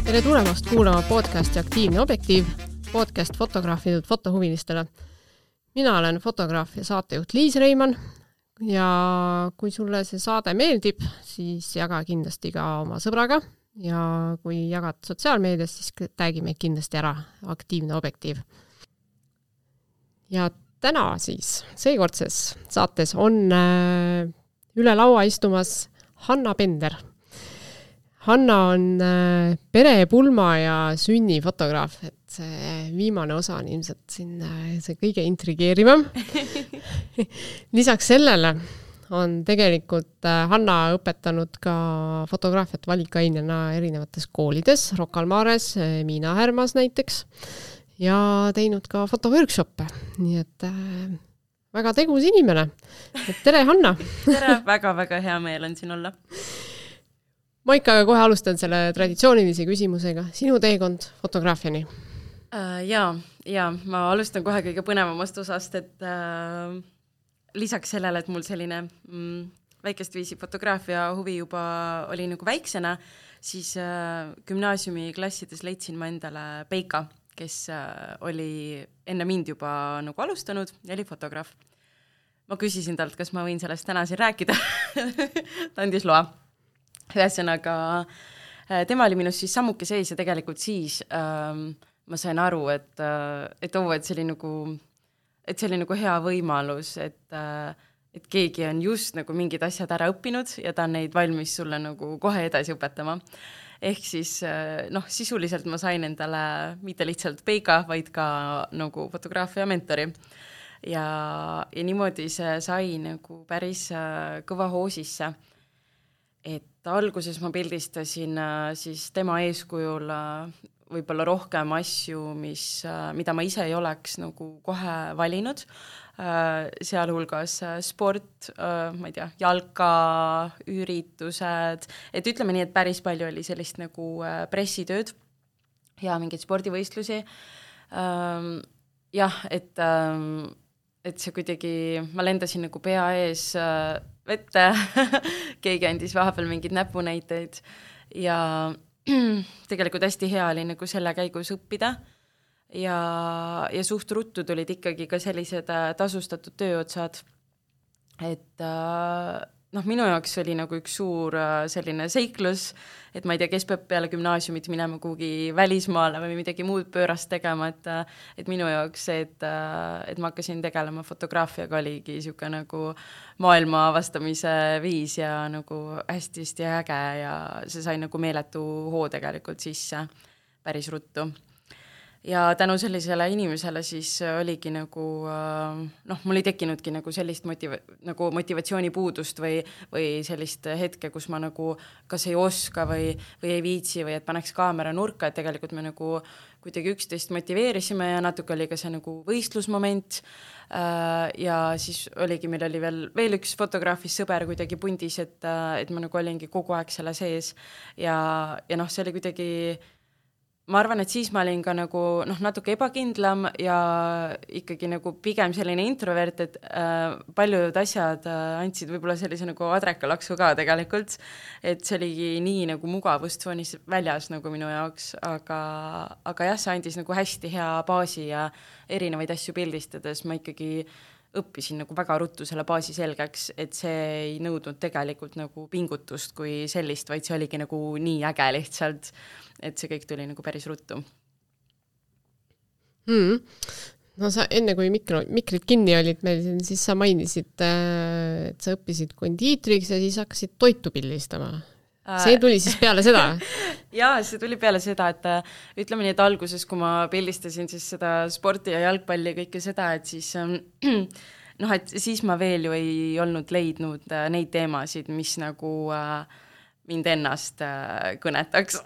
Tere tulemast kuulama podcasti Aktiivne objektiiv, podcast fotograafidelt fotohuvilistele. Mina olen fotograaf ja saatejuht Liis Reimann ja kui sulle see saade meeldib, siis jaga kindlasti ka oma sõbraga ja kui jagad sotsiaalmeedias, siis tagi meid kindlasti ära Aktiivne objektiiv. Ja täna siis, seekordses saates on üle laua istumas Hanna Pender. Hanna on perepulma ja sünnifotograaf, et see viimane osa on ilmselt siin see kõige intrigeerivam. Lisaks sellele on tegelikult Hanna õpetanud ka fotograafiat valikainena erinevates koolides, Rocca al Mares, Miina Härmas näiteks, ja teinud ka fotoworkshoppe. Nii et väga tegus inimene. Et tere, Hanna! Tere, väga-väga hea meel on siin olla. Ma ikka kohe alustan selle traditsioonilise küsimusega. Sinu teekond fotograafiani? Ja, ma alustan kohe kõige põnevamast osast, et lisaks sellele, et mul selline väikest viisi fotograafia huvi juba oli nagu väiksena, siis gümnaasiumi klassides leidsin ma endale Peika, kes oli enne mind juba nagu alustanud ja oli fotograaf. Ma küsisin talt, kas ma võin sellest täna siin rääkida. Ta andis loa. Ühesõnaga, tema oli minust siis sammuke sees ja tegelikult siis ma sain aru, et see oli nagu hea võimalus, et keegi on just nagu mingid asjad ära õppinud ja ta on neid valmis sulle nagu kohe edasi õpetama. Ehk siis sisuliselt ma sain endale mitte lihtsalt Peika, vaid ka nagu fotograafia mentori. Ja niimoodi see sai nagu päris kõva hoo sisse. Et alguses ma pildistasin siis tema eeskujul võib-olla rohkem asju, mida ma ise ei oleks nagu kohe valinud. Sealhulgas sport, ma ei tea, jalka, üritused. Et ütleme nii, et päris palju oli sellist nagu pressitööd ja mingeid spordivõistlusi. Jah, et see kuidagi, ma lendasin nagu pea ees vette, keegi andis vahepeal mingid näpunäiteid ja tegelikult hästi hea oli nagu selle käigus õppida ja suht ruttu tulid ikkagi ka sellised tasustatud tööotsad, et minu jaoks oli nagu üks suur selline seiklus, et ma ei tea, kes peab peale gümnaasiumit minema kuhugi välismaale või midagi muud pöörast tegema, et minu jaoks see, et ma hakkasin tegelema fotograafiaga oligi siuke nagu maailma avastamise viis ja nagu hästi äge ja see sai nagu meeletu hoo tegelikult sisse päris ruttu. Ja tänu sellisele inimesele siis oligi nagu, mul ei tekkinudki nagu sellist motivatsioonipuudust või sellist hetke, kus ma nagu kas ei oska või ei viitsi või et paneks kaamera nurka, et tegelikult me nagu kuidagi üksteist motiveerisime ja natuke oli ka see nagu võistlusmoment ja siis oligi, meil oli veel üks fotograafis sõber kuidagi pundis, et ma nagu olingi kogu aeg selle sees ja see oli kuidagi. Ma arvan, et siis ma olin ka nagu natuke ebakindlam ja ikkagi nagu pigem selline introvert, et paljud asjad andsid võib-olla sellise nagu adrekalaksu ka tegelikult, et see oligi nii nagu mugavustsoonis väljas nagu minu jaoks, aga jah, see andis nagu hästi hea baasi ja erinevaid asju pildistades ma ikkagi õppisin nagu väga ruttu selle baasi selgeks, et see ei nõudnud tegelikult nagu pingutust kui sellist, vaid see oligi nagu nii äge lihtsalt, et see kõik tuli nagu päris ruttu. No sa enne kui mikrid kinni olid meil, siis sa mainisid, et sa õppisid kondiitriks ja siis hakkasid toitu pildistama. See tuli siis peale seda? Jaa, see tuli peale seda, et ütleme nii, et alguses, kui ma pildistasin siis seda sporti ja jalgpalli ja kõike seda, et siis et siis ma veel ju ei olnud leidnud neid teemasid, mis nagu mind ennast kõnetaks.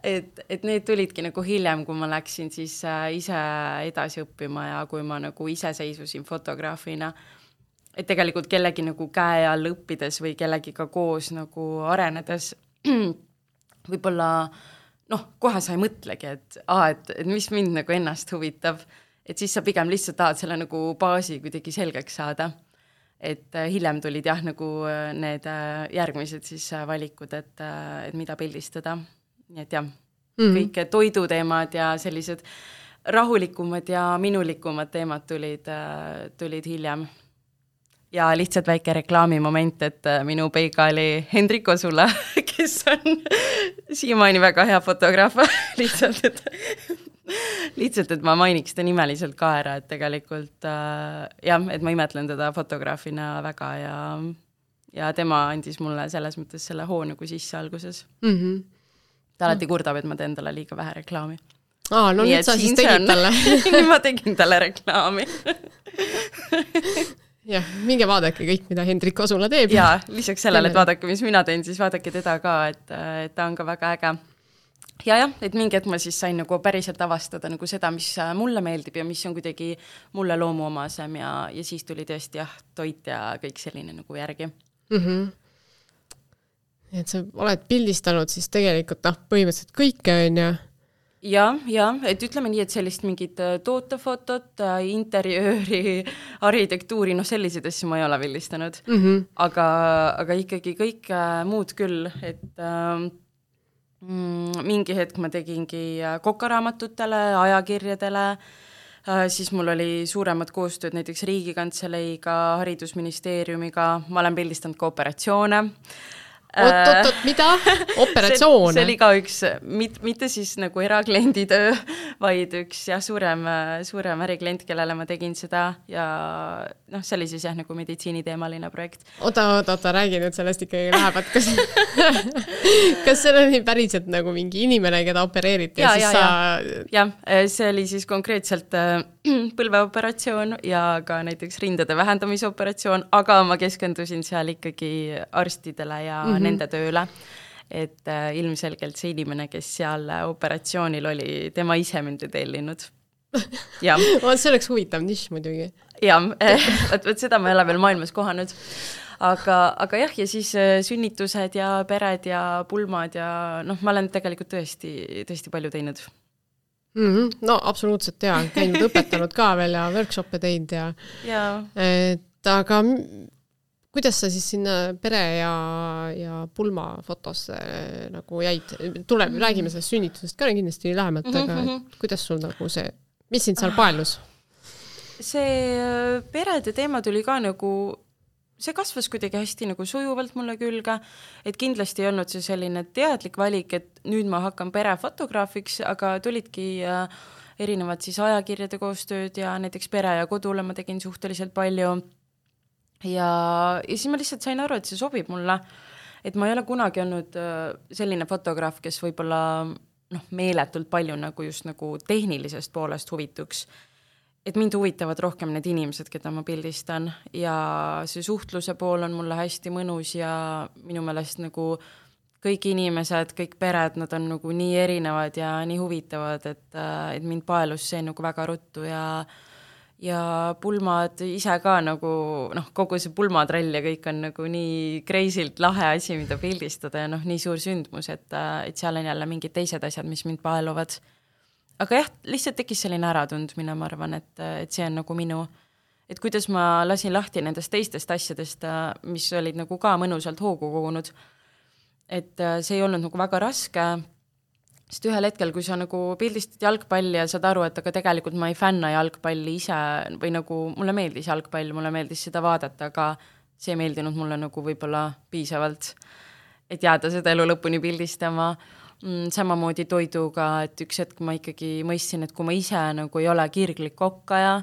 et need tulidki nagu hiljem, kui ma läksin siis ise edasi õppima ja kui ma nagu ise seisusin fotograafina. Et tegelikult kellegi nagu käe all õppides või kellegiga koos nagu arenedes võib-olla kohe sa ei mõtlegi, et mis mind nagu ennast huvitab, et siis sa pigem lihtsalt tahad selle nagu baasi kuidagi selgeks saada. Et hiljem tulid jah nagu need järgmised siis valikud, et mida pildistada. nii et jah, kõik toiduteemad ja sellised rahulikumad ja minulikumad teemad tulid hiljem. Ja lihtsalt väike reklaamimoment, et minu peiga oli Hendrik Osula, kes on siiamaani väga hea fotograaf, lihtsalt, et ma mainiks ta nimeliselt ka ära, et tegelikult jah, et ma imetlen teda fotograafina väga ja tema andis mulle selles mõttes selle hoo nagu sisse alguses. Ta alati kurdab, et ma teen talle liiga vähe reklaami. No nüüd sa siis tegid talle. Nüüd ma tegin talle reklaami. Jah, minge vaadake kõik, mida Hendrik Osula teeb. Ja, lisaks sellele, et vaadake, mis mina teen, siis vaadake teda ka, et ta on ka väga äge. Ja, et mingi hetk ma siis sain nagu päriselt avastada nagu seda, mis mulle meeldib ja mis on kuidagi mulle loomuomasem ja siis tuli tõesti toit ja kõik selline nagu järgi. Et sa oled pildistanud siis tegelikult põhimõtteliselt kõike on ja? Ja, et ütleme nii, et sellist mingit tootefotot, interjööri, arhitektuuri, selliseid asju ma ei ole pildistanud. Aga ikkagi kõik muud küll, et mingi hetk ma tegingi kokaraamatutele, ajakirjadele, siis mul oli suuremad koostööd näiteks Riigikantseiga, Haridusministeeriumiga, ma olen pildistanud ka operatsioone. Oot, mida? Operatsioone? See oli ka üks, mitte siis nagu eraklienditöö, vaid üks suurem äriklient, kellele ma tegin seda ja see oli siis nagu meditsiiniteemaline projekt. Oota, räägi nüüd sellest ikkagi läheb, et kas see oli päriselt nagu mingi inimene, keda opereeriti ja siis sa... Ja, see oli siis konkreetselt põlveoperatsioon ja ka näiteks rindade vähendamise operatsioon, aga ma keskendusin seal ikkagi arstidele ja nende tööle, et ilmselgelt see inimene, kes seal operatsioonil oli, tema ise mind tellinud. See oleks huvitav nišš muidugi. Jah, et seda ma ei ole veel maailmas kohanud. Aga jah, ja siis sünnitused ja pered ja pulmad ja ma olen tegelikult tõesti palju teinud. No absoluutselt jaa, käinud õpetanud ka veel ja workshop'e teinud ja. Et aga kuidas sa siis sinna pere ja pulma fotosse nagu jäid? Räägime sellest sünnitusest ka kindlasti lähemalt, aga kuidas sul nagu see, mis sind seal paelus? See perede teema tuli ka nagu, see kasvas kuidagi hästi nagu sujuvalt mulle külge, et kindlasti ei olnud see selline teadlik valik, et nüüd ma hakkan perefotograafiks, aga tulidki erinevad siis ajakirjade koostööd ja näiteks Pere ja Kodule ma tegin suhteliselt palju. Ja siis ma lihtsalt sain aru, et see sobib mulle, et ma ei ole kunagi olnud selline fotograaf, kes võib-olla meeletult palju nagu just nagu tehnilisest poolest huvituks, et mind huvitavad rohkem need inimesed, keda ma pildistan ja see suhtluse pool on mulle hästi mõnus ja minu meelest nagu kõik inimesed, kõik pered, nad on nagu nii erinevad ja nii huvitavad, et mind paelus see nagu väga ruttu ja pulmad ise ka nagu, kogu see pulmatrall ja kõik on nagu nii crazylt lahe asi, mida pildistada ja nii suur sündmus, et seal on jälle mingid teised asjad, mis mind paeluvad. Aga jah, lihtsalt tekkis selline äratundmine, ma arvan, et see on nagu minu, et kuidas ma lasin lahti nendest teistest asjadest, mis olid nagu ka mõnusalt hoogu kogunud, et see ei olnud nagu väga raske. Sest ühel hetkel, kui sa nagu pildistad jalgpalli ja saad aru, et aga tegelikult ma ei fänna jalgpalli ise või nagu mulle meeldis jalgpall, mulle meeldis seda vaadata, aga see ei meeldinud mulle nagu võib-olla piisavalt, et jääda seda elu lõpuni pildistama. Samamoodi toiduga, et üks hetk ma ikkagi mõistsin, et kui ma ise nagu ei ole kirglik kokkaja,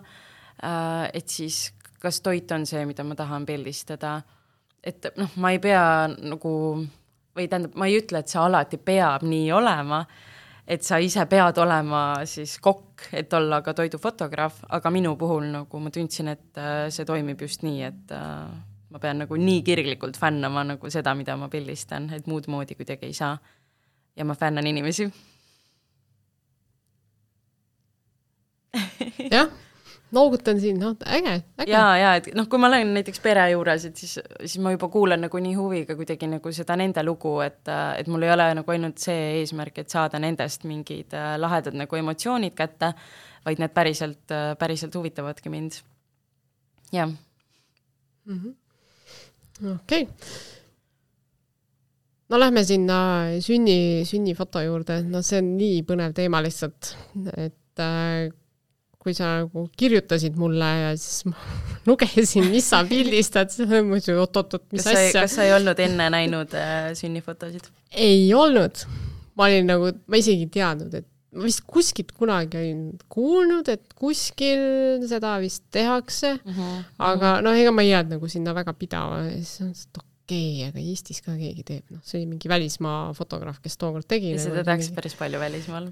et siis kas toit on see, mida ma tahan pildistada. Et ma ei pea nagu... või tähendab, ma ei ütle, et see alati peab nii olema, et sa ise pead olema siis kokk, et olla ka toidufotograaf, aga minu puhul nagu ma tundsin, et see toimib just nii, et ma pean nagu nii kirglikult fännama nagu seda, mida ma pildistan, et muud moodi kuidagi ei saa. Ja ma fännan inimesi. Jah. Noogutan siin, äge. Ja, et kui ma olen näiteks pere juures, et siis ma juba kuulen nagu nii huviga kuidagi nagu seda nende lugu, et mul ei ole nagu ainult see eesmärk, et saada nendest mingid lahedad nagu emotsioonid kätte, vaid need päriselt huvitavadki mind. Jah. Okei. no lähme sinna sünnifoto juurde, no see on nii põnev teema lihtsalt, et kui sa nagu kirjutasid mulle ja siis ma lugesin, mis sa pildistad, siis ma mõtlesin, oot, mis asja. Kas sa ei olnud enne näinud sünnifotosid? Ei olnud. Ma olin nagu, ma isegi teadnud, et ma vist kuskilt kunagi olin kuulnud, et kuskil seda vist tehakse, aga ega ma ei jääd nagu sinna väga pidava. Siis on okei, aga Eestis ka keegi teeb. No, see oli mingi välismaa fotograaf, kes tookord tegi. Ja seda tehakse päris palju välismaal.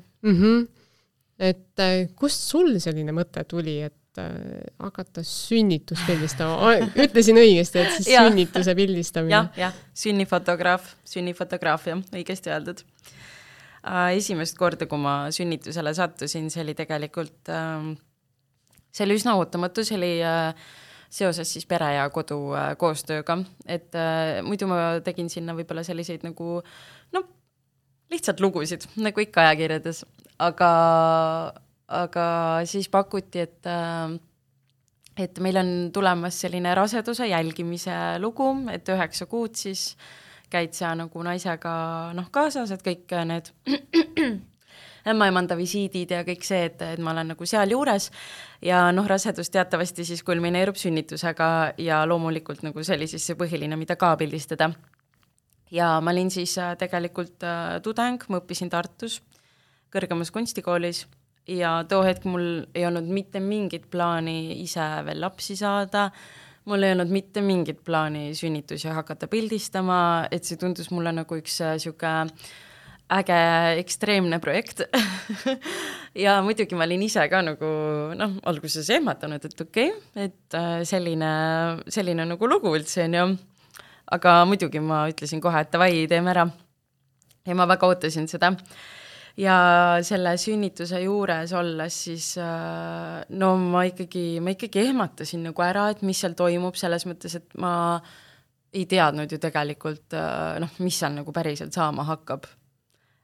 Et kust sul selline mõte tuli, et hakata sünnitust pildistama? Ütlesin õigesti, et siis sünnituse pildistamine. Jah, sünnifotograafia, õigesti öeldud. Esimest korda, kui ma sünnitusele sattusin, see oli tegelikult, see oli üsna ootamatu, see oli seoses siis pere ja kodu koostööga, et muidu ma tegin sinna võib-olla selliseid nagu, lihtsalt lugusid, nagu ikka ajakirjades, aga siis pakuti, et meil on tulemas selline raseduse jälgimise lugu, et 9 kuud siis käid sa nagu naisega kaasas, et kõik need ämmaemanda visiidid ja kõik see, et ma olen nagu seal juures ja rasedus teatavasti siis kulmineerub sünnitusega ja loomulikult nagu see oli siis see põhiline, mida ka pildistada. Ja ma olin siis tegelikult tudeng, ma õppisin Tartus kõrgemas kunstikoolis ja too hetk mul ei olnud mitte mingit plaani ise veel lapsi saada, mul ei olnud mitte mingit plaani sünnitusi hakata pildistama, et see tundus mulle nagu üks siuke äge ekstreemne projekt. Ja muidugi ma olin ise ka nagu, alguses ehmatanud, et okei, et selline nagu lugu üldse on ju. Aga muidugi ma ütlesin kohe, et davai, teeme ära. Ja ma väga ootasin seda. Ja selle sünnituse juures olles siis, ma ikkagi ehmatasin nagu ära, et mis seal toimub selles mõttes, et ma ei teadnud ju tegelikult, mis seal nagu päriselt saama hakkab.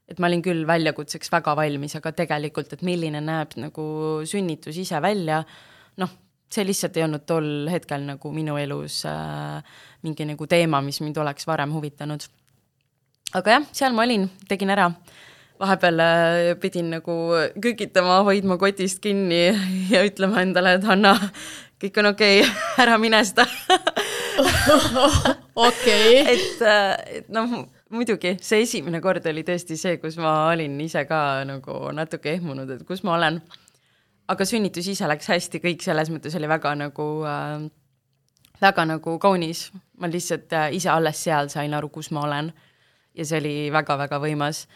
Et ma olin küll väljakutseks väga valmis, aga tegelikult, et milline näeb nagu sünnitus ise välja, see lihtsalt ei olnud tol hetkel nagu minu elus mingi nagu teema, mis mind oleks varem huvitanud. Aga jah, seal ma olin, tegin ära. Vahepeal pidin nagu kükitama, hoidma kotist kinni ja ütlema endale, et Hanna, kõik on okei, ära mine seda. Okei. Et muidugi, see esimene kord oli tõesti see, kus ma olin ise ka nagu natuke ehmunud, et kus ma olen. Aga sünnitus ise läks hästi, kõik selles mõttes oli väga nagu kaunis. Ma lihtsalt ise alles seal sain aru, kus ma olen. Ja see oli väga-väga võimas.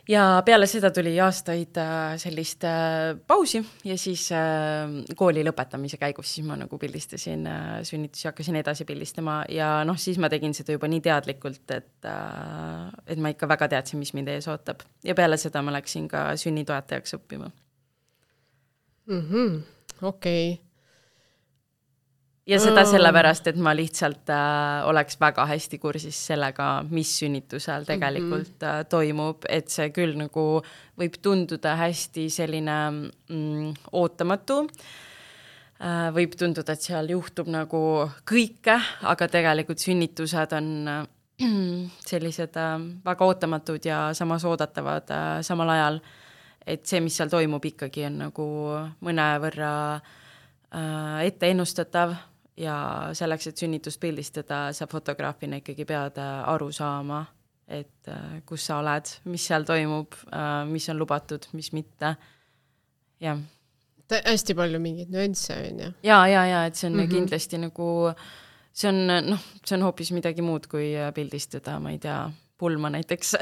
Ja peale seda tuli aastaid sellist pausi ja siis kooli lõpetamise käigus siis ma nagu pildistasin sünnitusi, hakkasin edasi pildistama ja siis ma tegin seda juba nii teadlikult, et ma ikka väga teadsin, mis mind ees ootab. Ja peale seda ma läksin ka sünnitoetajaks õppima. Okei. Ja seda sellepärast, et ma lihtsalt oleks väga hästi kursis sellega, mis sünnitusel tegelikult toimub, et see küll nagu võib tunduda hästi selline ootamatu. Võib tunduda, et seal juhtub nagu kõike, aga tegelikult sünnitused on sellised väga ootamatud ja samas oodatavad samal ajal, et see, mis seal toimub ikkagi on nagu mõnevõrra ette ennustatav. Ja selleks, et sünnitust pildistada, sa fotograafina ikkagi pead aru saama, et kus sa oled, mis seal toimub, mis on lubatud, mis mitte. Ja. Hästi palju mingeid nüansse on ju. Ja, et see on kindlasti nagu, see on hoopis midagi muud kui pildistada, ma ei tea, pulma näiteks,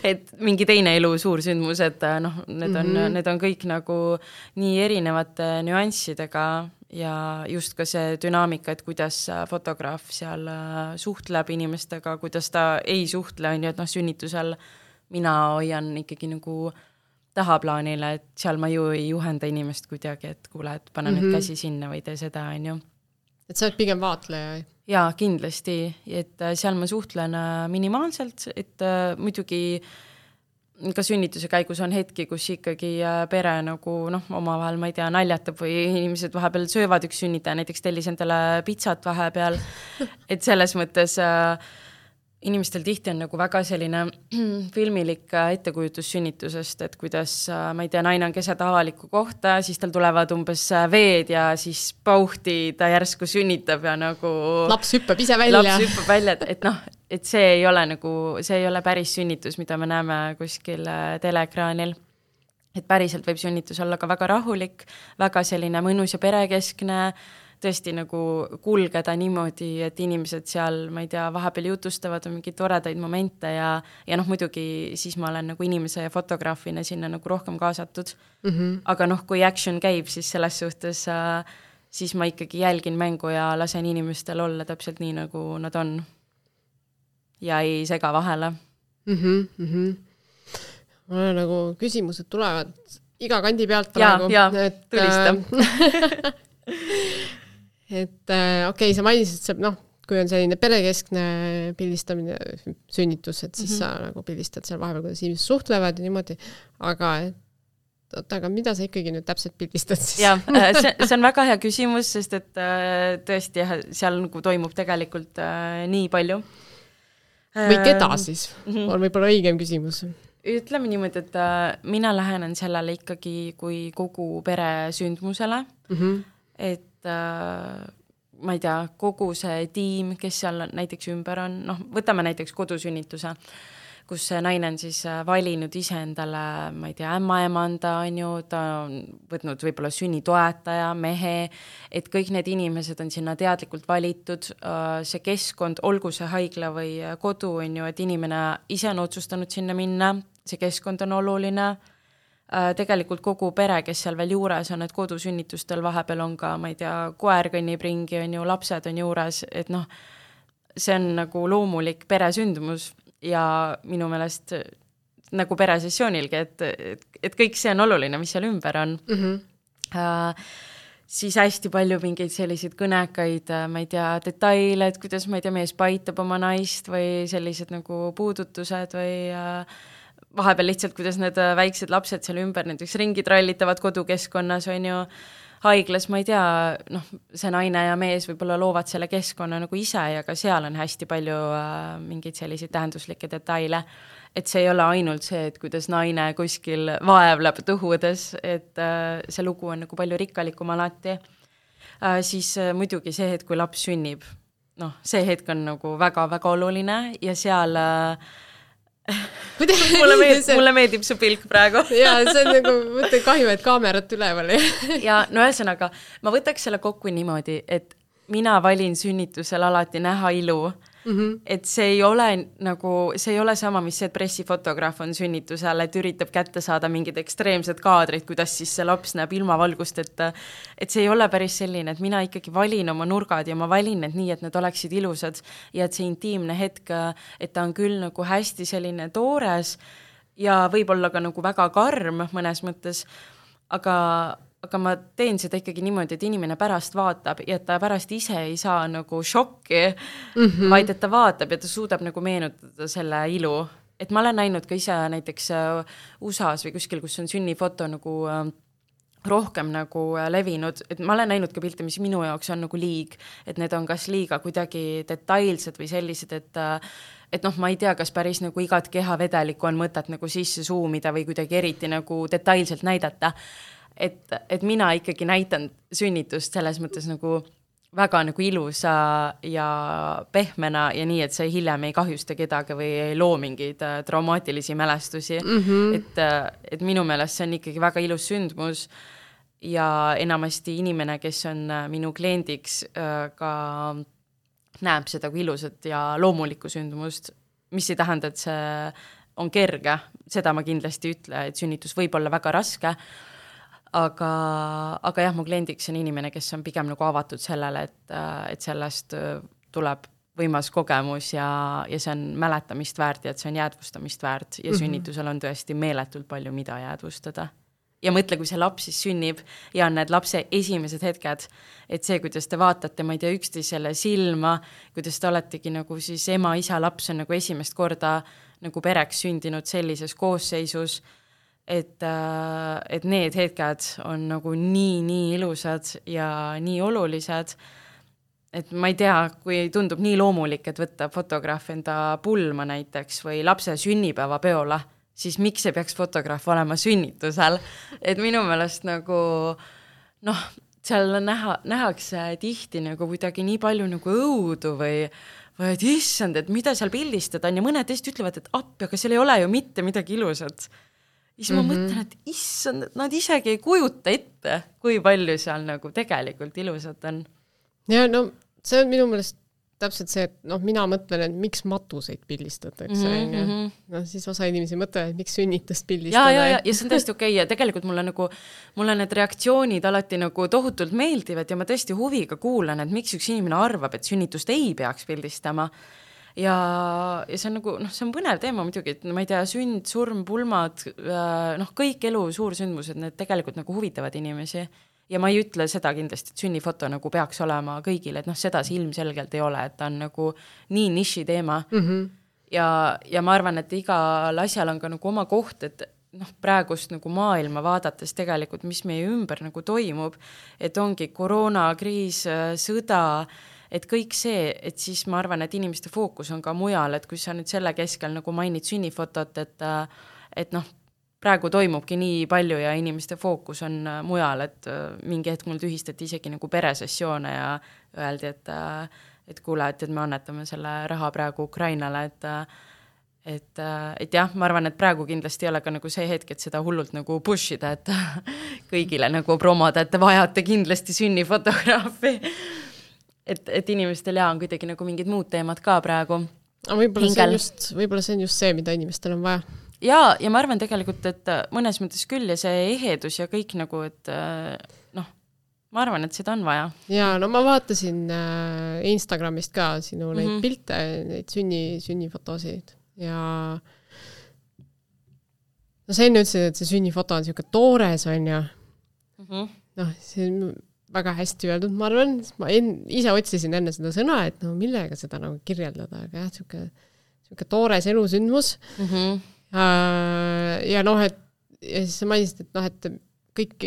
et mingi teine elu suur sündmus, et need on kõik nagu nii erinevate nüanssidega ja just ka see dünaamika, et kuidas fotograaf seal suhtleb inimestega, kuidas ta ei suhtle, on ju, et sünnitusel mina hoian ikkagi nagu tahaplaanile, et seal ma ju ei juhenda inimest kuidagi, et kuule, et pane nüüd käsi sinna või tee seda, on ju. Et sa oled pigem vaatleja? Jaa, kindlasti, et seal ma suhtlen minimaalselt, et muidugi ka sünnituse käigus on hetki, kus ikkagi pere nagu omavahel, ma ei tea, naljatab või inimesed vahepeal söövad üks sünnitaja, näiteks tellis endale pitsat vahepeal, et selles mõttes inimestel tihti on nagu väga selline filmilik ettekujutus sünnitusest, et kuidas, ma ei tea, naine on keset avalikku kohta, siis tal tulevad umbes veed ja siis pauhti ta järsku sünnitab ja nagu laps hüppab ise välja. Laps hüppab välja, et noh, et see ei ole nagu, see ei ole päris sünnitus, mida me näeme kuskil teleekraanil. Et päriselt võib sünnitus olla ka väga rahulik, väga selline mõnus ja perekeskne, tõesti nagu kulgeda niimoodi, et inimesed seal, ma ei tea, vahepeal jutustavad on mingeid toredaid momente ja noh, muidugi siis ma olen nagu inimese ja fotograafina sinna nagu rohkem kaasatud. Aga noh, kui action käib, siis selles suhtes siis ma ikkagi jälgin mängu ja lasen inimestel olla täpselt nii, nagu nad on. Ja ei sega vahele. Mul on nagu küsimused tulevad iga kandi pealt praegu. Ja, tulista. Et okei, sa mainisid, et see, kui on selline perekeskne pildistamine, sünnitus, et siis sa nagu pildistad seal vahepeal, kuidas inimesed suhtlevad ja niimoodi, aga mida sa ikkagi nüüd täpselt pildistad siis? Ja, see on väga hea küsimus, sest et tõesti seal nagu toimub tegelikult nii palju. Või keda siis? On võib-olla õigem küsimus. Ütleme niimoodi, et mina lähenen sellele ikkagi kui kogu pere sündmusele, et ma ei tea, kogu see tiim, kes seal näiteks ümber on, võtame näiteks kodusünnituse, kus see naine on siis valinud ise endale, ma ei tea, ämmaemanda on ju, ta on võtnud võib-olla sünnitoetaja, mehe, et kõik need inimesed on sinna teadlikult valitud, see keskkond, olgu see haigla või kodu on ju, et inimene ise on otsustanud sinna minna, see keskkond on oluline, tegelikult kogu pere, kes seal veel juures on, et kodusünnitustel vahepeal on ka, ma ei tea, koer kõnnib ringi, on ju, lapsed on juures, et see on nagu loomulik peresündmus ja minu meelest nagu peresessioonilgi, et kõik see on oluline, mis seal ümber on. Siis hästi palju mingeid selliseid kõnekaid, ma ei tea, detaile, et kuidas, ma ei tea, mees paitab oma naist või sellised nagu puudutused või vahepeal lihtsalt, kuidas need väiksed lapsed seal ümber näiteks ringi trallitavad kodukeskkonnas, on ju, haiglas, ma ei tea, see naine ja mees võib-olla loovad selle keskkonna nagu ise ja ka seal on hästi palju mingeid selliseid tähenduslikke detaile, et see ei ole ainult see, et kuidas naine kuskil vaevleb tõhudes, et see lugu on nagu palju rikkalikum alati. Siis muidugi see hetk, kui laps sünnib, see hetk on nagu väga-väga oluline ja seal mulle meeldib su pilk praegu. Ja see on nagu, mõtle kahju, et kaamerat üleval. Ja ühesõnaga, ma võtaks selle kokku niimoodi, et mina valin sünnitusel alati näha ilu, et see ei ole sama, mis see, et pressifotograaf on sünnitusel, et üritab kätte saada mingid ekstreemsed kaadrid, kuidas siis see laps näeb ilmavalgust, et see ei ole päris selline, et mina ikkagi valin oma nurgad ja ma valin need nii, et need oleksid ilusad ja et see intiimne hetk, et ta on küll nagu hästi selline toores ja võib-olla ka nagu väga karm mõnes mõttes, aga ma teen seda ikkagi niimoodi, et inimene pärast vaatab ja et ta pärast ise ei saa nagu šokki, vaid et ta vaatab ja ta suudab nagu meenutada selle ilu. Et ma olen näinud ka ise näiteks USA-s või kuskil, kus on sünnifoto nagu rohkem nagu levinud, et ma olen näinud ka pilte, mis minu jaoks on nagu liig, et need on kas liiga kuidagi detailsed või sellised, et ma ei tea, kas päris nagu igat kehavedelikku on mõtet nagu sisse suumida või kuidagi eriti nagu detailselt näidata. Et mina ikkagi näitan sünnitust selles mõttes nagu väga nagu ilusa ja pehmena ja nii, et see hiljem ei kahjusta kedagi või ei loo mingeid traumaatilisi mälestusi. Et minu meelest see on ikkagi väga ilus sündmus ja enamasti inimene, kes on minu kliendiks, ka näeb seda kui ilusat ja loomulikku sündmust, mis ei tähenda, et see on kerge. Seda ma kindlasti ütle, et sünnitus võib olla väga raske, aga jah, mu kliendiks on inimene, kes on pigem nagu avatud sellele, et sellest tuleb võimas kogemus ja see on mäletamist väärt ja et see on jäädvustamist väärt ja sünnitusel on tõesti meeletult palju, mida jäädvustada. Ja mõtle, kui see laps siis sünnib ja on need lapse esimesed hetked, et see, kuidas te vaatate, ma ei tea, üksteisele silma, kuidas te oletegi nagu siis ema, isa, laps on nagu esimest korda nagu pereks sündinud sellises koosseisus, et need hetked on nagu nii ilusad ja nii olulised et ma ei tea, kui tundub nii loomulik, et võtta fotograaf enda pulma näiteks või lapse sünnipäevapeole, siis miks ei peaks fotograaf olema sünnitusel? Et minu meelest nagu, noh, seal nähakse tihti nagu kuidagi nii palju nagu õudu või et issand, et mida seal pildistada on ja mõned teist ütlevad, et appi, aga seal ei ole ju mitte midagi ilusat. Ja siis ma mõtlen, et issand, et nad isegi ei kujuta ette, kui palju seal nagu tegelikult ilusat on. Ja no see on minu meelest täpselt see, et noh, mina mõtlen, et miks matuseid pildistatakse. No siis osa inimesi mõtlevad, et miks sünnitust pildistada. Ja see on tõesti okei. Ja tegelikult mulle need reaktsioonid alati nagu tohutult meeldivad ja ma tõesti huviga kuulan, et miks üks inimene arvab, et sünnitust ei peaks pildistama. Ja see on nagu, noh, see on põnev teema muidugi, et ma ei tea, sünd, surm, pulmad, noh, kõik elu suursündmused, need tegelikult nagu huvitavad inimesi. Ja ma ei ütle seda kindlasti, et sünnifoto nagu peaks olema kõigile, et noh, seda see ilmselgelt ei ole, et ta on nagu nii niši teema. Ja ma arvan, et igal asjal on ka nagu oma koht, et noh, praegust nagu maailma vaadates tegelikult, mis meie ümber nagu toimub, et ongi koroonakriis, sõda, et kõik see, et siis ma arvan, et inimeste fookus on ka mujal, et kui sa nüüd selle keskel nagu mainid sünnifotot, et noh, praegu toimubki nii palju ja inimeste fookus on mujal, et mingi hetk mul tühistati isegi nagu peresessioone ja öeldi, et kuule, et me annetame selle raha praegu Ukrainale, et jah, ma arvan, et praegu kindlasti ei ole ka nagu see hetk, et seda hullult nagu pushida, et kõigile nagu promoda, et te vajate kindlasti sünnifotograafi. Et inimestel on kuidagi nagu mingid muud teemad ka praegu. Võib-olla see on just see, mida inimestel on vaja. Ja ma arvan tegelikult, et mõnes mõttes küll ja see ehedus ja kõik nagu, et noh, ma arvan, et seda on vaja. Ja no ma vaatasin Instagramist ka sinu neid pilte, neid sünnifotosid ja no see enne ütlesid, et see sünnifoto on selline toores on ja noh, see on väga hästi öeldud, ma arvan, ma ise otsisin enne seda sõna, et no millega seda nagu kirjeldada, aga jah, selline toores elusündmus ja noh, et ja siis sa mainisid, et noh, et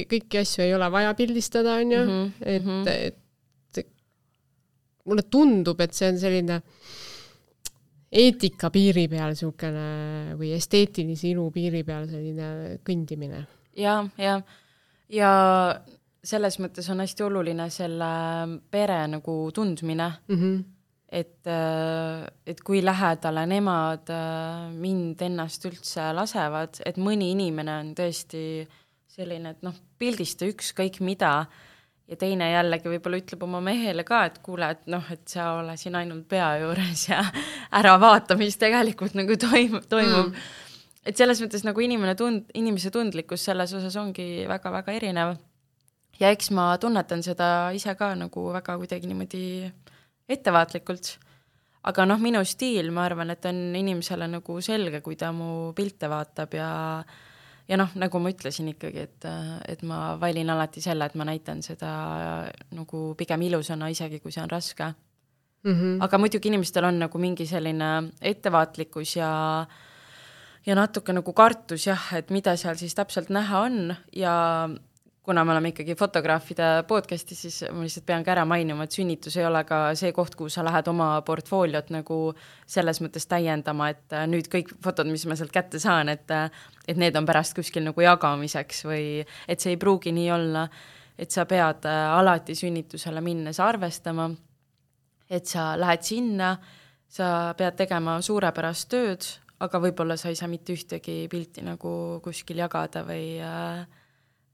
kõiki asju ei ole vaja pildistada, on ju, et mulle tundub, et see on selline eetika piiri peal siukene või esteetilise ilu piiri peal selline kõndimine. Ja selles mõttes on hästi oluline selle pere nagu tundmine, et kui lähedale nemad mind ennast üldse lasevad, et mõni inimene on tõesti selline, et noh, pildista ükskõik mida ja teine jällegi võib-olla ütleb oma mehele ka, et kuule, et noh, et sa ole siin ainult pea juures ja ära vaata, mis tegelikult nagu toimub. Et selles mõttes nagu inimese tundlikkus selles osas ongi väga-väga erinev. Ja eks ma tunnetan seda ise ka nagu väga kuidagi niimoodi ettevaatlikult. Aga noh, minu stiil, ma arvan, et on inimesele nagu selge, kui ta mu pilte vaatab ja noh, nagu ma ütlesin ikkagi, et ma valin alati selle, et ma näitan seda nagu pigem ilusana isegi, kui see on raske. Aga muidugi inimestel on nagu mingi selline ettevaatlikkus ja natuke nagu kartus jah, et mida seal siis täpselt näha on ja kuna me oleme ikkagi fotograafide podcasti, siis ma lihtsalt pean ka ära mainima, et sünnitus ei ole ka see koht, kuhu sa lähed oma portfooliot nagu selles mõttes täiendama, et nüüd kõik fotod, mis ma sealt kätte saan, et need on pärast kuskil nagu jagamiseks või et see ei pruugi nii olla, et sa pead alati sünnitusele minnes arvestama, et sa lähed sinna, sa pead tegema suurepärast tööd, aga võib-olla sa ei saa mitte ühtegi pilti nagu kuskil jagada või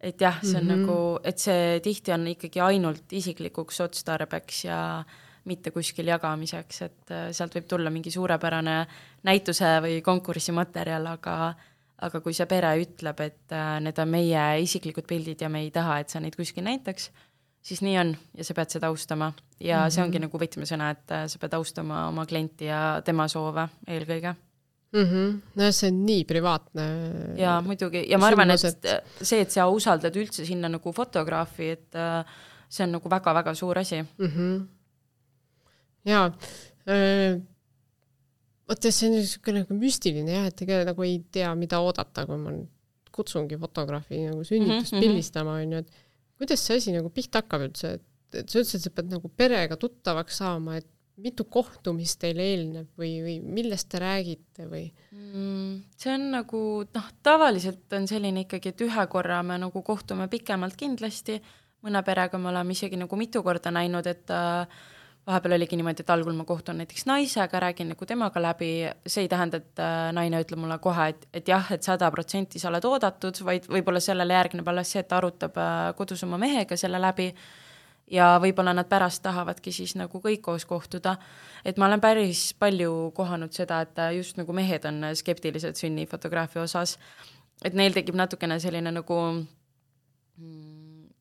et jah, see on nagu, et see tihti on ikkagi ainult isiklikuks otstarbeks ja mitte kuskil jagamiseks, et sealt võib tulla mingi suurepärane näituse või konkursimaterjal, aga kui see pere ütleb, et need on meie isiklikud pildid ja me ei taha, et sa neid kuskil näitaks, siis nii on ja sa pead seda austama. Ja see ongi nagu võtmesõna, et sa pead austama oma klienti ja tema soove eelkõige. No see on nii privaatne. Ja muidugi, ja ma arvan, et see, et sa usaldad üldse sinna nagu fotograafi, et see on nagu väga-väga suur asi. Jaa, võttes see on niisugune nagu müstiline jah, et ega nagu ei tea, mida oodata, kui ma kutsungi fotograafi nagu sünnitust pildistama, on ju, et kuidas see asi nagu pihta hakkab üldse, et sa ütlesid, et sa pead nagu perega tuttavaks saama, et mitu kohtumist teil eelneb või millest te räägite või? See on nagu, tavaliselt on selline ikkagi, et ühe korra me nagu kohtume pikemalt kindlasti, mõne perega me oleme isegi nagu mitu korda näinud, et vahepeal oligi niimoodi, et algul ma kohtun näiteks naisega, räägin nagu temaga läbi, see ei tähenda, et naine ütleb mulle kohe, et jah, et 100% sa oled oodatud, vaid võib-olla sellele järgneb alles see, et ta arutab kodus oma mehega selle läbi ja võib-olla nad pärast tahavadki siis nagu kõik koos kohtuda. Et ma olen päris palju kohanud seda, et just nagu mehed on skeptilised sünnifotograafia osas, et neil tekib natukene selline nagu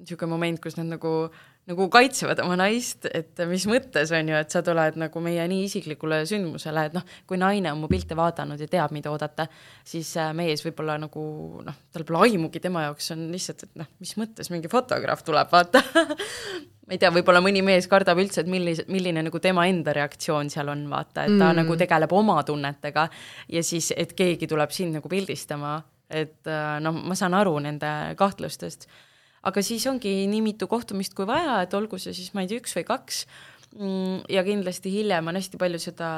niisugune moment, kus nad nagu kaitsevad oma naist, et mis mõttes on ju, et sa tuled nagu meie nii isiklikule sündmusele, et kui naine on mu pilte vaadanud ja teab, mida oodata, siis mees võib-olla nagu, tal pole aimugi, tema jaoks on lihtsalt, et mis mõttes mingi fotograaf tuleb, vaata. Ma ei tea, võib-olla mõni mees kardab üldse, et milline nagu tema enda reaktsioon seal on, vaata, et ta nagu tegeleb oma tunnetega ja siis, et keegi tuleb sind nagu pildistama, et ma saan aru nende kahtlustest. Aga siis ongi nii mitu kohtumist kui vaja, et olgu see siis, ma ei tea, 1 või 2 ja kindlasti hiljem on hästi palju seda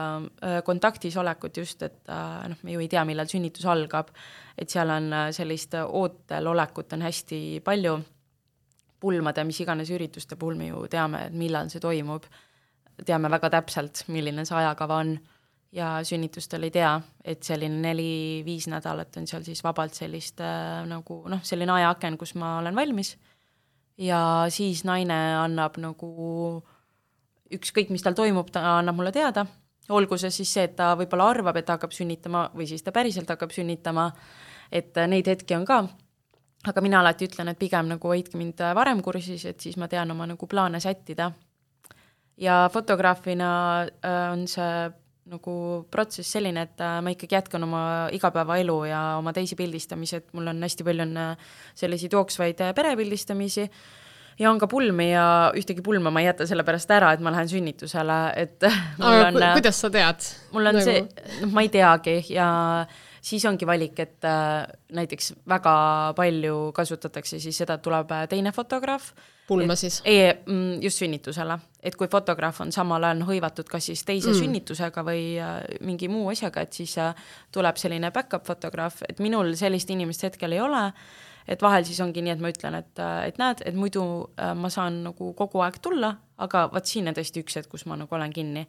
kontaktis olekut just, et me ju ei tea, millal sünnitus algab, et seal on sellist ootel olekut on hästi palju pulmade, mis iganes ürituste puhul me ju teame, et millal see toimub, teame väga täpselt, milline see ajakava on ja sünnitustel ei tea, et selline 4-5 nädalat on seal siis vabalt sellist nagu, selline ajaaken, kus ma olen valmis ja siis naine annab nagu ükskõik, mis tal toimub, ta annab mulle teada, olgu see siis see, et ta võib-olla arvab, et ta hakkab sünnitama või siis ta päriselt hakkab sünnitama, et neid hetki on ka, aga mina alati ütlen, et pigem nagu hoidke mind varem kursis, et siis ma tean oma nagu plaane sättida ja fotograafina on see nagu protsess selline, et ma ikkagi jätkan oma igapäevaelu ja oma teisi pildistamisi, et mul on hästi palju selliseid jooksvaid perepildistamisi ja on ka pulmi ja ühtegi pulma ma ei jäta selle pärast ära, et ma lähen sünnitusele, et mul on, kuidas sa tead? Mul on nagu see, ma ei teagi ja siis ongi valik, et näiteks väga palju kasutatakse siis seda, et tuleb teine fotograaf. Pulma siis? Just sünnitusele. Et kui fotograaf on samal ajal hõivatud kas siis teise sünnitusega või mingi muu asjaga, et siis tuleb selline backup fotograaf, et minul sellist inimest hetkel ei ole, et vahel siis ongi nii, et ma ütlen, et näed, et muidu ma saan nagu kogu aeg tulla, aga vaat siin on tõesti üks hetk, kus ma nagu olen kinni.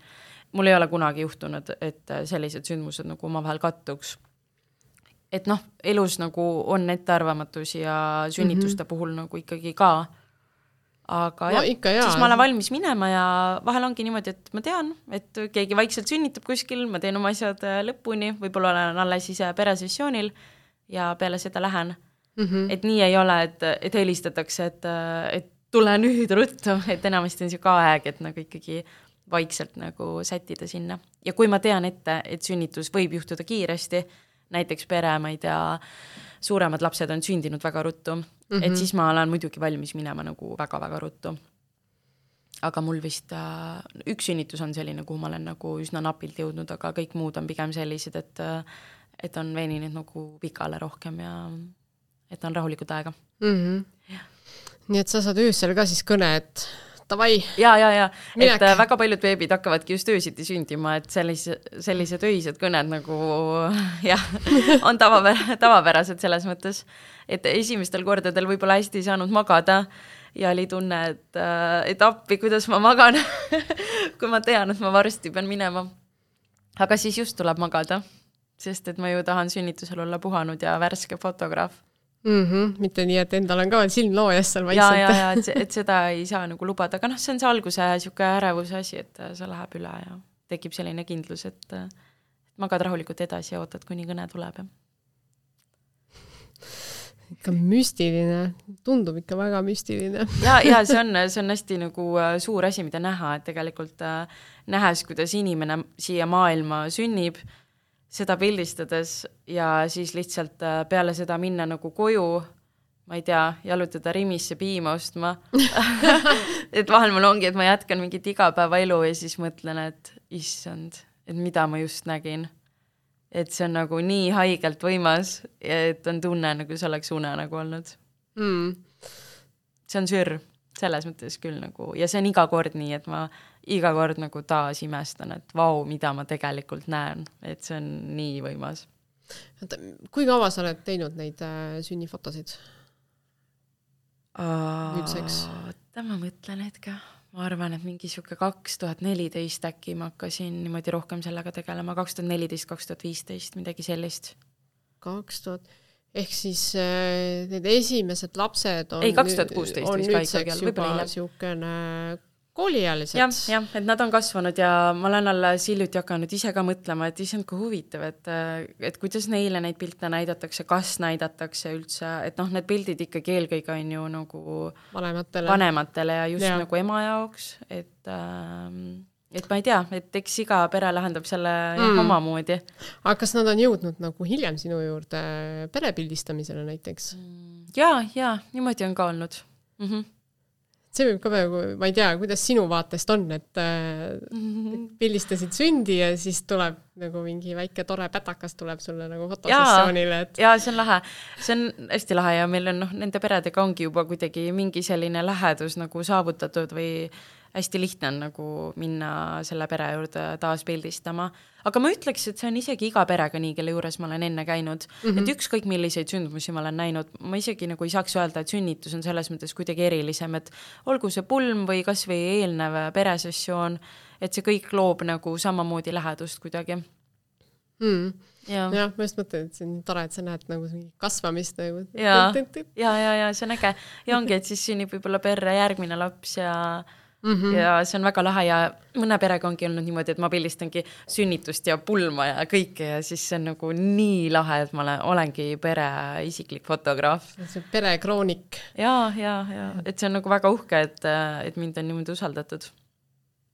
Mul ei ole kunagi juhtunud, et sellised sündmused nagu omavahel kattuks. Et elus nagu on ettearvamatusi ja sünnituste puhul nagu ikkagi ka. Aga siis ma olen valmis minema ja vahel ongi niimoodi, et ma tean, et keegi vaikselt sünnitab kuskil, ma teen oma asjad lõpuni, võib-olla olen alles ise peresessioonil ja peale seda lähen. Et nii ei ole, et helistatakse, et tule nüüd ruttu, et enamasti on see ka aeg, et nagu ikkagi vaikselt nagu sättida sinna. Ja kui ma tean ette, et sünnitus võib juhtuda kiiresti, näiteks pere, ma ei tea, suuremad lapsed on sündinud väga ruttu, et siis ma olen muidugi valmis minema nagu väga-väga ruttu. Aga mul vist üks sünnitus on selline, kuhu ma olen nagu üsna napilt jõudnud, aga kõik muud on pigem sellised, et on veeninud nagu pikale rohkem ja et on rahulikud aega. Nii et sa saad öösel ka siis kõne, et tavai. Ja. Et väga paljud beebid hakkavadki just öösiti sündima, et sellised öised kõned nagu on tavapärased selles mõttes, et esimestel kordadel võib-olla hästi ei saanud magada ja oli tunne, et appi, kuidas ma magan, kui ma tean, et ma varsti pean minema. Aga siis just tuleb magada, sest et ma ju tahan sünnitusel olla puhanud ja värske fotograaf. Mitte nii, et endal on ka veel silm loojas seal vaikselt. Ja, et seda ei saa nagu lubada, aga see on see alguse siuke ärevuse asi, et see läheb üle ja tekib selline kindlus, et magad rahulikult edasi ja ootad, kuni kõne tuleb. Ikka müstiline, tundub ikka väga müstiline. Ja see on hästi nagu suur asi, mida näha, et tegelikult nähes, kuidas inimene siia maailma sünnib, seda pildistades ja siis lihtsalt peale seda minna nagu koju, ma ei tea, jalutada Rimisse piima ostma. Et vahel mul ongi, et ma jätkan mingit igapäeva elu ja siis mõtlen, et issand, et mida ma just nägin. Et see on nagu nii haigelt võimas, et on tunne, nagu see oleks une nagu olnud. See on sür. selles mõttes küll nagu, ja see on iga kord nii, et ma iga kord nagu taas imestan, et vau, mida ma tegelikult näen, et see on nii võimas. Kui kaua sa oled teinud neid sünnifotosid? Nüüdseks? Ma mõtlen hetke. Ma arvan, et mingi siuke 2014 äkki ma hakkasin niimoodi rohkem sellega tegelema, 2014-2015, midagi sellist. 2000, ehk siis need esimesed lapsed on, ei, 2016 on nüüdseks juba siukene kooliealised. Jah, et nad on kasvanud ja ma olen alles hiljuti hakanud ise ka mõtlema, et issand, kui huvitav, et kuidas neile neid pilte näidatakse, kas näidatakse üldse, et noh, need pildid ikkagi eelkõige on ju nagu vanematele ja just nagu ema jaoks, et ma ei tea, et eks iga pere lahendab selle omamoodi. Aga kas nad on jõudnud nagu hiljem sinu juurde perepildistamisele näiteks? Ja, niimoodi on ka olnud. See võib ka peaaegu, ma ei tea, kuidas sinu vaatest on, et pildistasid sündi ja siis tuleb nagu mingi väike tore pätakas tuleb sulle nagu fotosessioonile. Ja see on lahe. See on hästi lahe ja meil on nende peredega ongi juba kuidagi mingi selline lähedus nagu saavutatud või hästi lihtne on nagu minna selle pere juurde taas pildistama. Aga ma ütleks, et see on isegi iga perega nii, kelle juures ma olen enne käinud. Et ükskõik milliseid sündmusi ma olen näinud, ma isegi nagu ei saaks öelda, et sünnitus on selles mõttes kuidagi erilisem, et olgu see pulm või kas või eelnev peresessioon, et see kõik loob nagu samamoodi lähedust kuidagi. Ja, ma just mõtlen, et see on tore, et sa näed nagu kasvamist. Nagu. Ja, see on äge. Ja ongi, et siis sünnib võib-olla perre järgmine laps ja see on väga lahe ja mõne perega ongi olnud niimoodi, et ma pildistangi sünnitust ja pulma ja kõike ja siis see on nagu nii lahe, et ma olengi pere isiklik fotograaf. See on perekroonik. Ja, et see on nagu väga uhke, et mind on niimoodi usaldatud.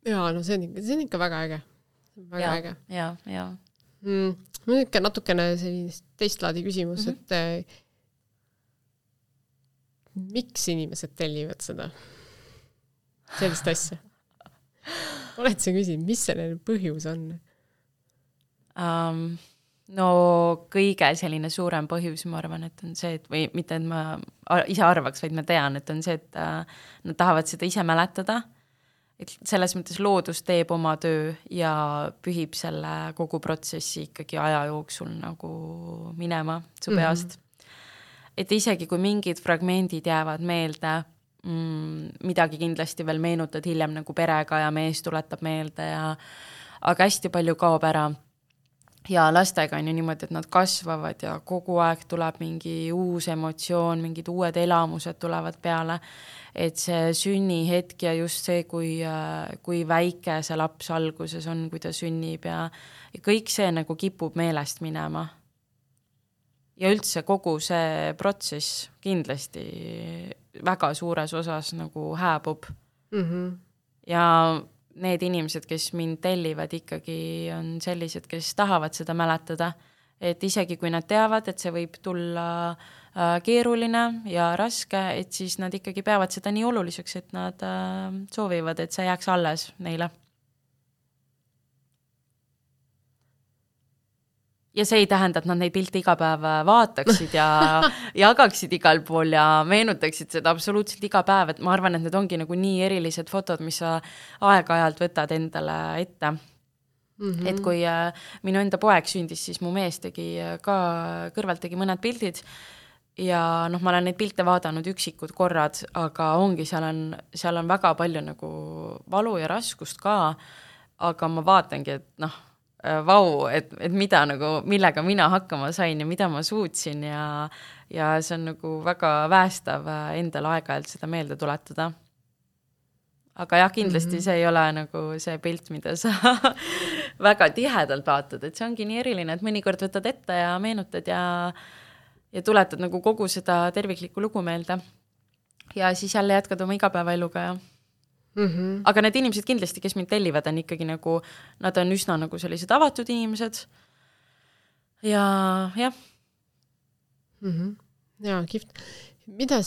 Ja, no see on ikka väga äge. Väga äge. Ja. Ikka natukene sellist teistlaadi küsimus, et miks inimesed tellivad seda? Sellist asja. Oled sa küsinud, mis selle põhjus on? No kõige selline suurem põhjus, ma arvan, et on see, et või mitte, et ma ise arvaks, vaid ma tean, et on see, et nad tahavad seda ise mäletada. Et selles mõttes loodus teeb oma töö ja pühib selle kogu protsessi ikkagi aja jooksul nagu minema su peast. Et isegi kui mingid fragmendid jäävad meelde, midagi kindlasti veel meenutad hiljem nagu perega ja mees tuletab meelde aga hästi palju kaob ära ja lastega on ju niimoodi, et nad kasvavad ja kogu aeg tuleb mingi uus emotsioon, mingid uued elamused tulevad peale, et see sünnihetk ja just see, kui väike see laps alguses on, kui ta sünnib ja kõik see nagu kipub meelest minema. Ja üldse kogu see protsess kindlasti väga suures osas nagu hääbub. Ja need inimesed, kes mind tellivad ikkagi on sellised, kes tahavad seda mäletada, et isegi kui nad teavad, et see võib tulla keeruline ja raske, et siis nad ikkagi peavad seda nii oluliseks, et nad soovivad, et see jääks alles neile. Ja see ei tähenda, et nad neid pilte iga päev vaataksid ja jagaksid igal pool ja meenutaksid seda absoluutselt iga päev, et ma arvan, et need ongi nagu nii erilised fotod, mis sa aeg-ajalt võtad endale ette. Et kui minu enda poeg sündis, siis mu mees tegi ka kõrvalt tegi mõned pildid ja noh, ma olen neid pilte vaadanud üksikud korrad, aga ongi, seal on väga palju nagu valu ja raskust ka, aga ma vaatangi, et noh, vau, et mida nagu, millega mina hakkama sain ja mida ma suutsin ja see on nagu väga väestav endal aeg-ajalt seda meelde tuletada. Aga jah, kindlasti see ei ole nagu see pilt, mida sa väga tihedalt vaatad, et see ongi nii eriline, et mõnikord võtad ette ja meenutad ja tuletad nagu kogu seda terviklikku lugu meelde. Ja siis jälle jätkad oma igapäevaeluga ja aga need inimesed kindlasti, kes mind tellivad, on ikkagi nagu, nad on üsna nagu sellised avatud inimesed ja jah. Ja, kihvt. Mida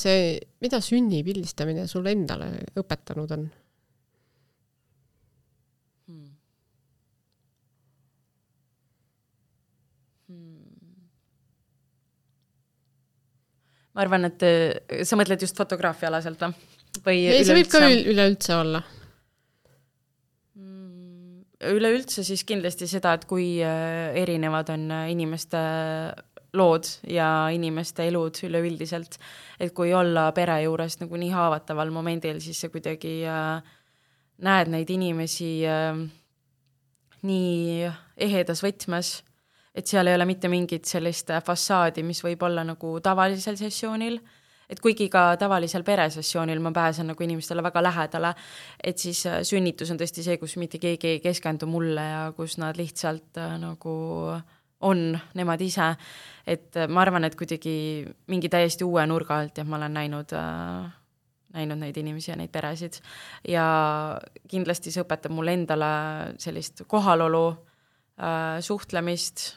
sünni pildistamine sul endale õpetanud on? Ma arvan, et sa mõtled just fotograafia alaselt või? Ei, see võib ka üleüldse olla. Üleüldse siis kindlasti seda, et kui erinevad on inimeste lood ja inimeste elud üleüldiselt, et kui olla pere juures nagu nii haavataval momendil, siis see kuidagi näed neid inimesi nii ehedas võtmes, et seal ei ole mitte mingit sellist fassaadi, mis võib olla nagu tavalisel sessioonil, et kuigi ka tavalisel peresessioonil ma pääsen nagu inimestele väga lähedale, et siis sünnitus on tõesti see, kus mitte keegi ei keskendu mulle ja kus nad lihtsalt nagu on nemad ise, et ma arvan, et kuidagi mingi täiesti uue nurga alt ja ma olen näinud neid inimesi ja neid peresid ja kindlasti see õpetab mulle endale sellist kohalolu, suhtlemist,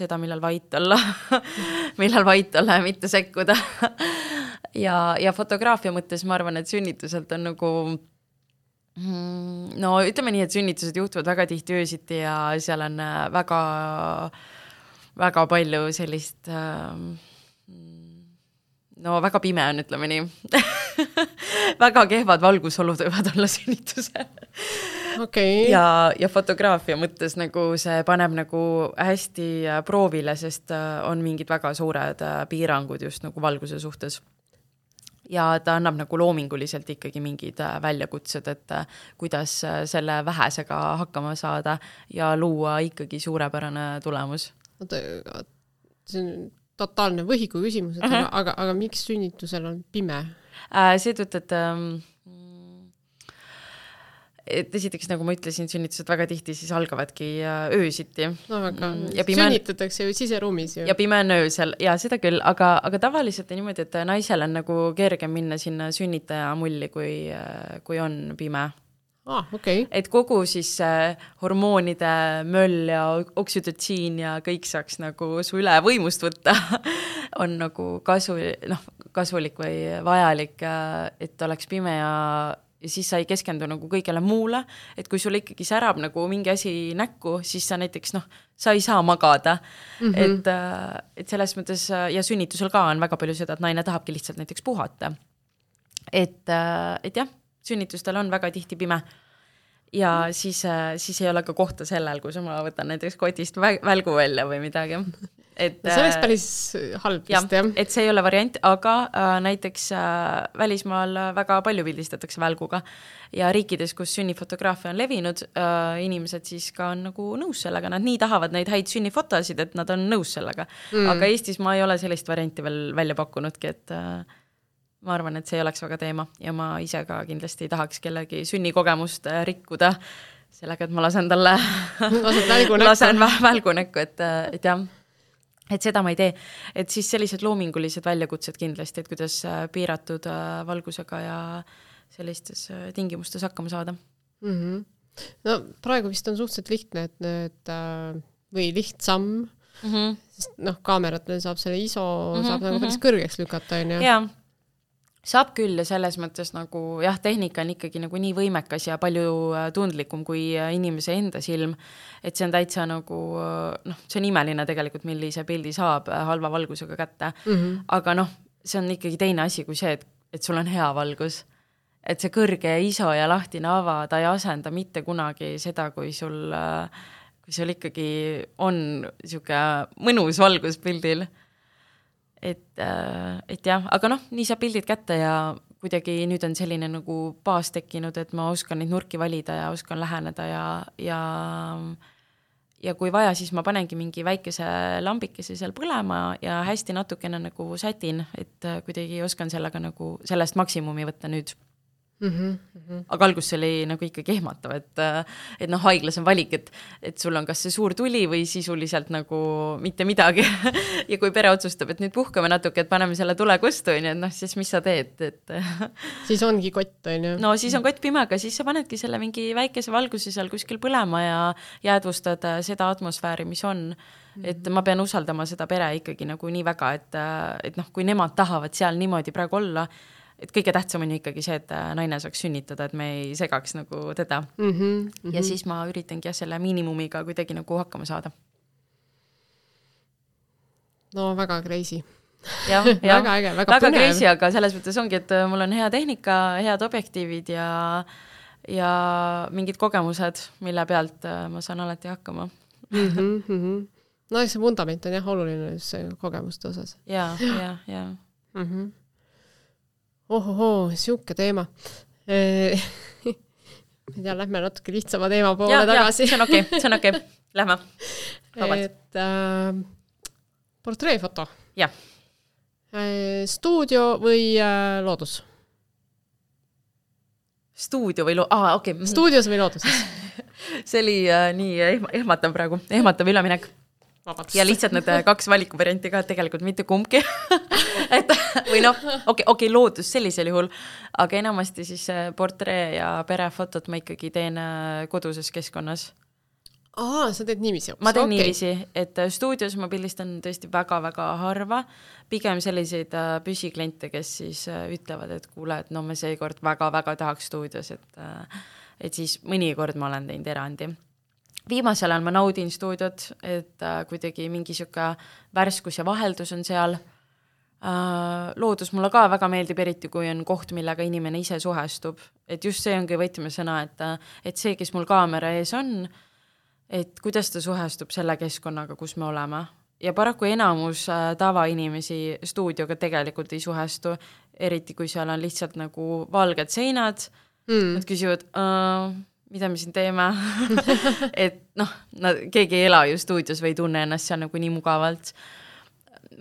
seda, millal vait olla ja mitte sekkuda. ja fotograafia mõttes ma arvan, et sünnituselt on nagu, no ütleme nii, et sünnitused juhtuvad väga tihti öösiti ja seal on väga, väga palju sellist, no väga pime on, ütleme nii. väga kehvad valgusolud võivad olla sünnitusel. Okay. Ja fotograafia mõttes nagu see paneb nagu hästi proovile, sest on mingid väga suured piirangud just nagu valguse suhtes. Ja ta annab nagu loominguliselt ikkagi mingid väljakutsed, et kuidas selle vähesega hakkama saada ja luua ikkagi suurepärane tulemus. See on totaalne võhiku küsimus, aga miks sünnitusel on pime? Seetõttu, et esiteks, nagu ma ütlesin, sünnitused väga tihti siis algavadki öösiti. No väga, sünnitatakse ju siseruumis. Ja pime on öösel, ja seda küll, aga tavaliselt on niimoodi, et naisel on nagu kergem minna sinna sünnitaja mulli, kui on pime. Okay. Et kogu siis hormoonide möll ja oksüdotsiin ja kõik saaks nagu su üle võimust võtta on nagu kasulik või vajalik, et oleks pime ja siis sa ei keskendu nagu kõigele muule, et kui sul ikkagi särab nagu mingi asi näkku, siis sa näiteks, sa ei saa magada. Et selles mõttes, ja sünnitusel ka on väga palju seda, et naine tahabki lihtsalt näiteks puhata. Et jah, sünnitustel on väga tihti pime ja siis ei ole ka kohta sellel, kus ma võtan näiteks kotist välgu välja või midagi. See oleks päris halb vist, jah. Et see ei ole variant, aga näiteks välismaal väga palju pildistatakse välguga ja riikides, kus sünnifotograafia on levinud, inimesed siis ka on nagu nõus sellega, nad nii tahavad neid häid sünnifotosid, et nad on nõus sellega. Aga Eestis ma ei ole sellist varianti veel välja pakkunudki, et ma arvan, et see ei oleks väga teema ja ma ise ka kindlasti ei tahaks kellegi sünnikogemust rikkuda sellega, et ma lasen talle välgunäkku, et jah, et seda ma ei tee. Et siis sellised loomingulised väljakutsed kindlasti, et kuidas piiratud valgusega ja sellistes tingimustes hakkama saada. No praegu vist on suhteliselt lihtne, et või lihtsam, sest kaameratel saab selle ISO saab nagu päris kõrgeks lükata. Jaa. Saab küll ja selles mõttes nagu, jah, tehnika on ikkagi nagu nii võimekas ja palju tundlikum kui inimese enda silm, et see on täitsa nagu, see on imeline tegelikult, millise pildi saab halva valgusega kätte, aga see on ikkagi teine asi kui see, et sul on hea valgus, et see kõrge ISO ja lahtine ava, ta ei asenda mitte kunagi seda, kui sul ikkagi on siuke mõnus valgus pildil. Et jah, aga nii saab pildid kätte ja kuidagi nüüd on selline nagu baas tekkinud, et ma oskan neid nurki valida ja oskan läheneda ja kui vaja, siis ma panengi mingi väikese lambikese seal põlema ja hästi natukene nagu sätin, et kuidagi oskan sellega nagu sellest maksimumi võtta nüüd. Aga algus see oli nagu ikkagi ehmatav, et haiglas on valik, et sul on kas see suur tuli või sisuliselt nagu mitte midagi ja kui pere otsustab, et nüüd puhkame natuke, et paneme selle tule kustu, et siis mis sa teed, siis ongi kott, on ju? No siis on kott pimega, siis sa panedki selle mingi väikese valguse seal kuskil põlema ja jäädvustad seda atmosfääri, mis on. Et ma pean usaldama seda pere ikkagi nagu nii väga, et kui nemad tahavad seal niimoodi praegu olla, et kõige tähtsam on ju ikkagi see, et naine saaks sünnitada, et me ei segaks nagu teda. Ja siis ma üritangi selle miinimumiga kuidagi nagu hakkama saada. No väga crazy. väga äge, väga põnev. Crazy, aga selles mõttes ongi, et mul on hea tehnika, head objektiivid ja mingid kogemused, mille pealt ma saan alati hakkama. No see vundament on jah oluline kogemuste osas. Ja. Ohohoo, siuke teema. Lähme natuke lihtsama teema poole tagasi. See on okei. Lähme. Et portreefoto. Jah. Stuudio või loodus? Stuudio või okei. Stuudios või loodus? See oli nii ehmatav praegu, ehmatav üleminek. Vabandust. Ja lihtsalt need 2 valikuvarianti ka, tegelikult mitte kumbki. Või okei, loodus sellisel juhul, aga enamasti siis portree ja perefotot ma ikkagi teen koduses keskkonnas. Sa teed niiviisi? Ma teen niiviisi, et stuudios ma pildistan tõesti väga-väga harva, pigem selliseid püsikliente, kes siis ütlevad, et kuule, et me seekord väga-väga tahaks stuudios, et siis mõnikord ma olen teinud erandi. Viimasel ajal ma naudin stuudiot, et kuidagi mingi siuke värskus ja vaheldus on seal. Loodus mulle ka väga meeldib, eriti kui on koht, millega inimene ise suhestub. Et just see ongi võtmesõna, et see, kes mul kaamera ees on, et kuidas ta suhestub selle keskkonnaga, kus me oleme. Ja paraku enamus tavainimesi stuudioga tegelikult ei suhestu, eriti kui seal on lihtsalt nagu valged seinad. Nad küsivad, mida me siin teeme? Et keegi ei ela ju stuudios või ei tunne ennast seal nagu nii mugavalt.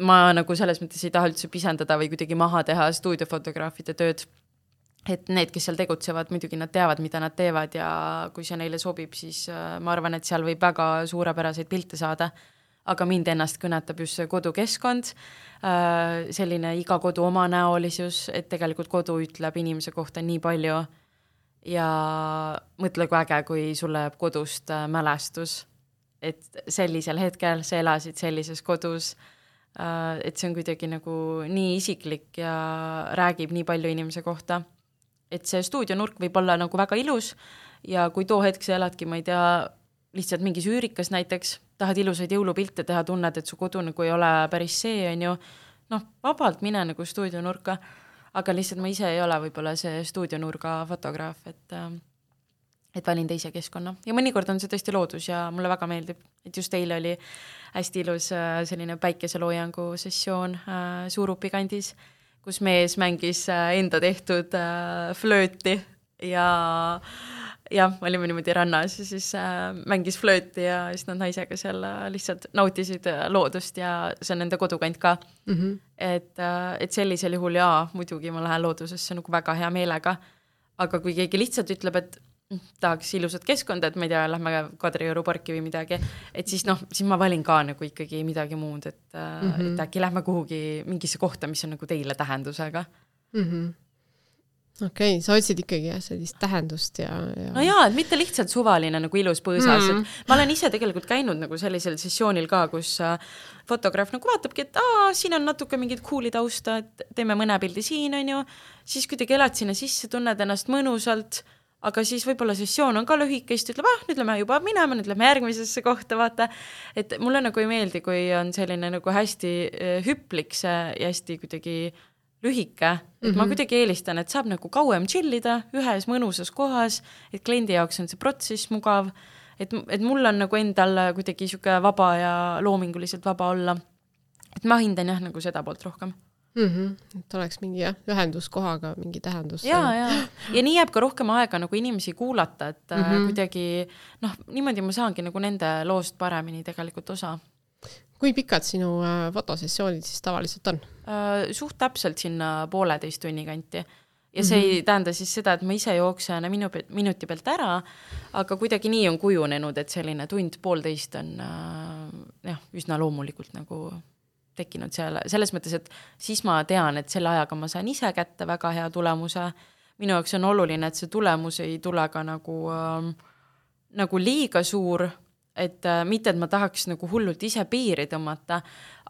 Ma nagu selles mõttes ei taha üldse pisendada või kuidagi maha teha stuudiofotograafide tööd. Et need, kes seal tegutsevad, muidugi nad teavad, mida nad teevad ja kui see neile sobib, siis ma arvan, et seal võib väga suurepäraseid pilte saada. Aga mind ennast kõnetab just see kodukeskkond, selline iga kodu oma näolisus, et tegelikult kodu ütleb inimese kohta nii palju ja mõtle kui äge, kui sulle jääb kodust mälestus, et sellisel hetkel sa elasid sellises kodus, et see on kuidagi nagu nii isiklik ja räägib nii palju inimese kohta. Et see stuudionurk võib olla nagu väga ilus ja kui too hetk sa eladki, ma ei tea, lihtsalt mingis üürikas näiteks, tahad ilusaid jõulupilte teha, tunned, et su kodu nagu ei ole päris see, on ju, vabalt mine nagu stuudionurka, aga lihtsalt ma ise ei ole võib-olla see stuudionurga fotograaf, et valin teise keskkonna. Ja mõnikord on see tõesti loodus ja mulle väga meeldib, et just eile oli hästi ilus selline päikeseloojangu sessioon Suurupi kandis, kus mees mängis enda tehtud flööti ja olime niimoodi rannas ja siis mängis flööti ja siis nad naisega seal lihtsalt nautisid loodust ja see on nende kodukant ka. Et sellisel juhul muidugi ma lähen loodusesse nagu väga hea meelega, aga kui keegi lihtsalt ütleb, et tahaks ilusat keskkonda, et ma ei tea, lähme Kadrioru parki või midagi, et siis siis ma valin ka nagu ikkagi midagi muud, et äkki lähme kuhugi mingisse kohta, mis on nagu teile tähendusega. Okei, sa otsid ikkagi sellist tähendust ja... No jaa, et mitte lihtsalt suvaline nagu ilus põõsas. Ma olen ise tegelikult käinud nagu sellisel sessioonil ka, kus fotograaf nagu vaatabki, et siin on natuke mingid cool'i tausta, et teeme mõne pildi siin, on ju, siis kuidagi elad sinna sisse, tunned ennast mõnusalt, aga siis võib-olla sessioon on ka lühikest, ütleb, nüüd lähme juba minema, nüüd lähme järgmisesse kohta, vaata. Et mulle nagu ei meeldi, kui on selline nagu hästi hüplik see ja hästi kuidagi lühike, et ma kuidagi eelistan, et saab nagu kauem chillida ühes mõnusas kohas, et kliendi jaoks on see protsess mugav, et mul on nagu endal kuidagi siuke vaba ja loominguliselt vaba olla. Et ma hindan jah nagu seda poolt rohkem. Et oleks mingi ühenduskohaga mingi tähendus. Ja nii jääb ka rohkem aega nagu inimesi kuulata, et kuidagi, niimoodi ma saangi nagu nende loost paremini tegelikult osa. Kui pikad sinu fotosessioonid siis tavaliselt on? Suht täpselt sinna 1,5 tunni kanti. Ja see ei tähenda siis seda, et ma ise jooksen minuti pealt ära, aga kuidagi nii on kujunenud, et selline 1.5 on üsna loomulikult nagu tekkinud selles mõttes, et siis ma tean, et selle ajaga ma saan ise kätte väga hea tulemuse. Minu jaoks on oluline, et see tulemus ei tule ka nagu liiga suur, et mitte, et ma tahaks nagu hullult ise piiri tõmmata,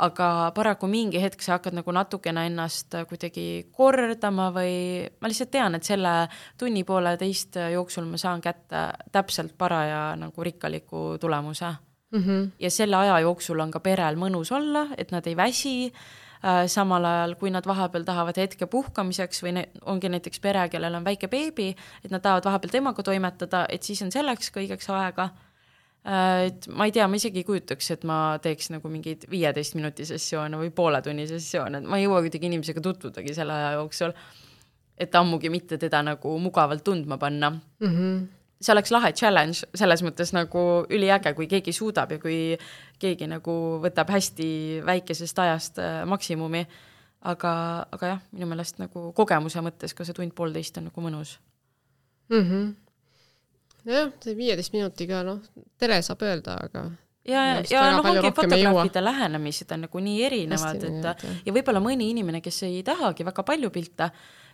aga paraku mingi hetk sa hakkad nagu natukene ennast kuidagi kordama või ma lihtsalt tean, et selle 1.5 jooksul ma saan kätte täpselt paraja nagu rikkaliku tulemuse. Ja selle aja jooksul on ka perel mõnus olla, et nad ei väsi, samal ajal, kui nad vahepeal tahavad hetke puhkamiseks või ongi näiteks pere, kellel on väike beebi, et nad tahavad vahepeal temaga toimetada, et siis on selleks kõigeks aega. Et ma ei tea, ma isegi ei kujutaks, et ma teeks nagu mingeid 15 minuti sessioone või poole tunni sessioone, et ma ei jõua kuidagi inimesega tutvudagi selle aja jooksul, et ammugi mitte teda nagu mugavalt tundma panna. See oleks lahe challenge, selles mõttes nagu üliäge, kui keegi suudab ja kui keegi nagu võtab hästi väikesest ajast maksimumi, aga jah, minu meelest nagu kogemuse mõttes ka see 1.5 on nagu mõnus. Jah, see 15 minutiga, tere saab öelda, aga ja ongi fotograafide lähenemised on nagu nii erinevad, ja võib-olla mõni inimene, kes ei tahagi väga palju pilte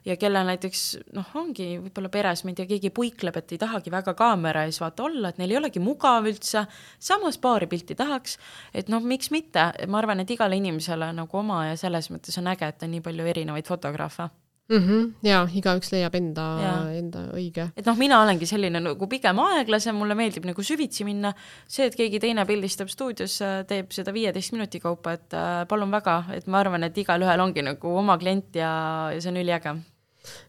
ja kelle näiteks, ongi võib-olla peres, ma ei tea, keegi puikleb, et ei tahagi väga kaamera ees vaata olla, et neil ei olegi mugav üldse, samas paari pilti tahaks, et miks mitte, ma arvan, et igale inimesele nagu oma ja selles mõttes on äge, et on nii palju erinevaid fotograafe. Ja igaüks leiab enda õige. Et mina olengi selline nagu pigem aeglase, mulle meeldib nagu süvitsi minna, see, et keegi teine pildistab stuudios, teeb seda 15 minuti kaupa, et palun väga, et ma arvan, et igal ühel ongi nagu oma klient ja see on üliäge.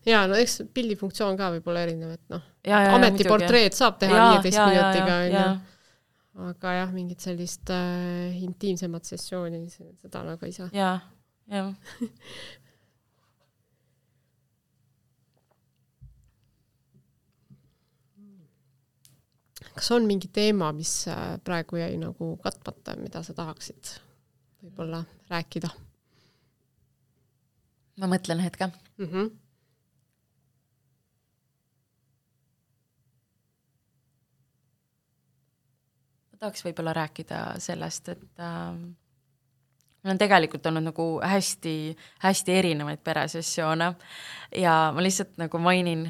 Ja, eks pildifunktsioon ka võib olla erinev, et ametiportreed saab teha 15 minutiga, aga jah, mingit sellist intiimsemat sessiooni, seda nagu ei saa. Ja. Kas on mingi teema, mis praegu jäi nagu katmata, mida sa tahaksid võib-olla rääkida? Ma mõtlen hetke. Ma tahaks võib-olla rääkida sellest, et mul on tegelikult olnud nagu hästi erinevaid peresessioone ja ma lihtsalt nagu mainin,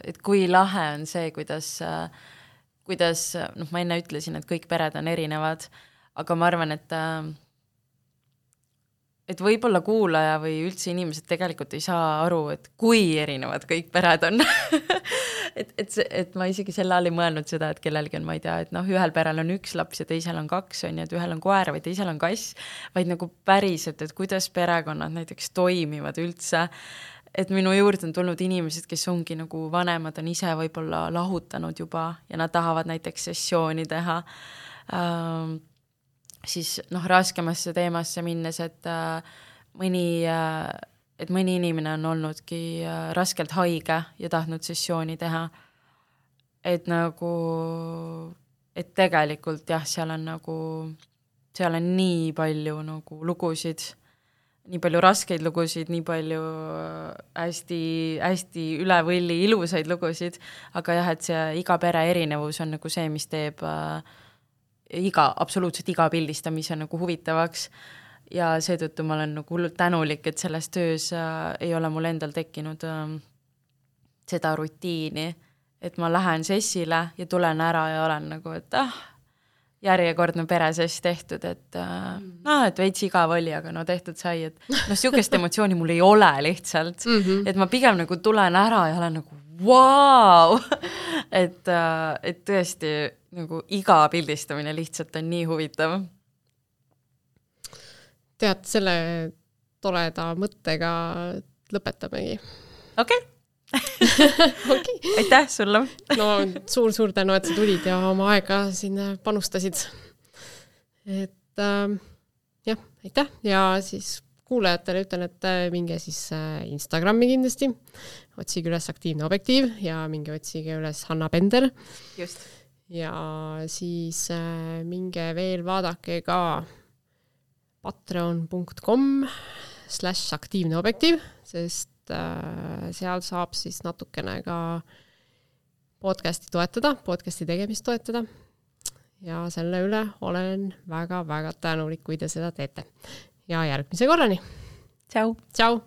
et kui lahe on see, kuidas ma enne ütlesin, et kõik pered on erinevad, aga ma arvan, et võib-olla kuulaja või üldse inimesed tegelikult ei saa aru, et kui erinevad kõik pered on. et ma isegi selle all ei mõelnud seda, et kellelgi on, ma ei tea, et ühel perel on 1 laps ja teisel on 2, et ühel on koer või teisel on kass, vaid nagu päriselt, et kuidas perekonnad näiteks toimivad üldse. Et minu juurde on tulnud inimesed, kes ongi nagu vanemad, on ise võib-olla lahutanud juba ja nad tahavad näiteks sessiooni teha. Siis raskemasse teemasse minnes, et mõni inimene on olnudki raskelt haige ja tahtnud sessiooni teha. Et tegelikult jah, seal on nii palju nagu lugusid, nii palju raskeid lugusid, nii palju hästi üle võlli ilusaid lugusid, aga jah, et see iga pere erinevus on nagu see, mis teeb absoluutselt iga pildistamise nagu huvitavaks ja seetõttu ma olen nagu hullult tänulik, et selles töös ei ole mul endal tekkinud seda rutiini, et ma lähen sessile ja tulen ära ja olen nagu, et järjekordne peresess tehtud, et veits igav oli, aga tehtud sai, et sihukest emotsiooni mul ei ole lihtsalt, et ma pigem nagu tulen ära ja olen nagu vau, et tõesti nagu iga pildistamine lihtsalt on nii huvitav. Tead, selle toreda mõttega lõpetamegi. Okei. Aitäh sulle. Suur tänu, et sa tulid ja oma aega sinna panustasid. Et jah, aitäh ja siis kuulajatele ütlen, et minge siis Instagrami kindlasti, otsige üles Aktiivne Objektiiv ja minge otsige üles Hanna Bender. Just. Ja siis minge veel vaadake ka patreon.com/Aktiivne Objektiiv, sest seal saab siis natukene ka podcasti tegemist toetada ja selle üle olen väga-väga tänulik, kui te seda teete. Ja järgmise korrani. Tšau. Tšau.